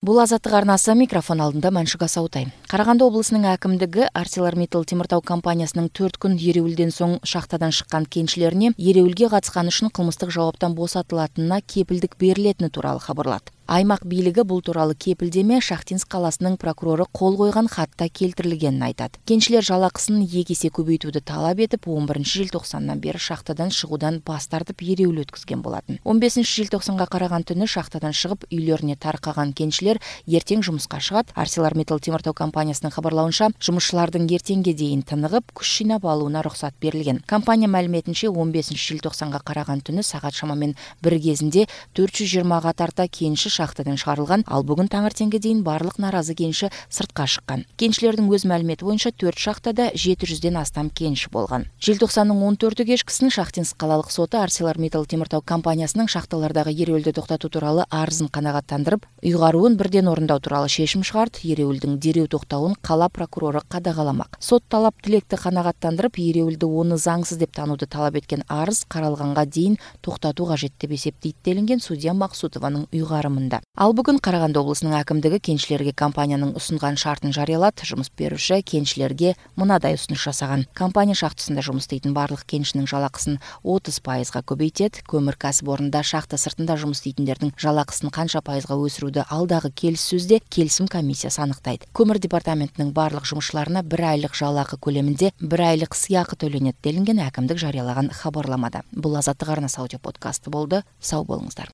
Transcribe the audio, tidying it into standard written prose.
Бул Азаттык арнасы, микрофон алдында Маншуга Саутай. Караганды облусунун акимдиги ArcelorMittal Темиртау компаниясынын 4 күн эреүүлдөн соң шахтадан шыккан кенчилерине эреүүлгө катышканы үчүн кылмыстык жабаптан босотулатынына кепилдик берилетини тууралуу кабарлады. Аймак бийлиги бул тууралуу кепилдеме Шахтинск каласынын прокурору кол койгон катта келтирилгенин айтат. Кенчилер жалакысын 2 эсе көбөйтүүдү талап этип, 11-желтоқсандан бери шахтадан чыгуудан бас тартып эреүүл өткөзгөн болатын. 15-желтоқсанга караган түнү шахтадан чыгып үйлөрүнө таркаган кенчилер эртең жумуска чыгат. ArcelorMittal Темиртау компаниясынын кабарлауынча, жумушчулардын эртеңге чейин тыныгып, күч жыйнап алууна уруксат берилген. Компания маалиметинче, 15-желтоқсанга караган түнү саат шамамен 1 кезинде 420 тарта кенчи шахтадан чыгарылган. Ал бүгүн таңертеңге дейин барлык нааразы кенчи сыртка чыккан. Кенчилердин өз маалимети боюнча 4 шахтада 700ден астам кенчи болгон. Желтоқсандын 14-ü кечкисин Шахтинск калалык соту ArcelorMittal Темиртау компаниясынын шахталардагы эреүүлдү токтотуу тууралуу арызын канагаттандырып, уйгаруун бирден орундоо тууралуу чечим чыгарды. Эреүүлдүн дерүү токтообун кала прокурору кадагаламак. Сот талап тилекти канагаттандырып, эреүүлдү оны заңсыз деп таанууду талап эткен арыз каралганга дейин токтотуу кажет деп эсептейт делинген судья Максутованын уйгарымында. Ал бүгүн Караганды облусунун акимдиги кенчилерге компаниянын усунган шартын жарыялат. Жумуш берүүчү кенчилерге мындай усунуш жасаган. Компания шахтасында жумуш иштейтин барлык кенчинин жалакысын 30% көбөйтет. Көмүр касыпорунда шахта сыртында жумуш иштейтиндердин жалакысын канча пайызга өсүрүүдө алдагы келиссөздө келисим комиссиясы аныктайт. Көмүр департаментинин барлык жумушчуларына 1 айлык жалакы көлеминде 1 айлык сыйакы төлөнөт делинген акимдик жарыялаган хабарламада. Бул Азаттык арнасы аудио подкасты болду. Сау болуңуздар.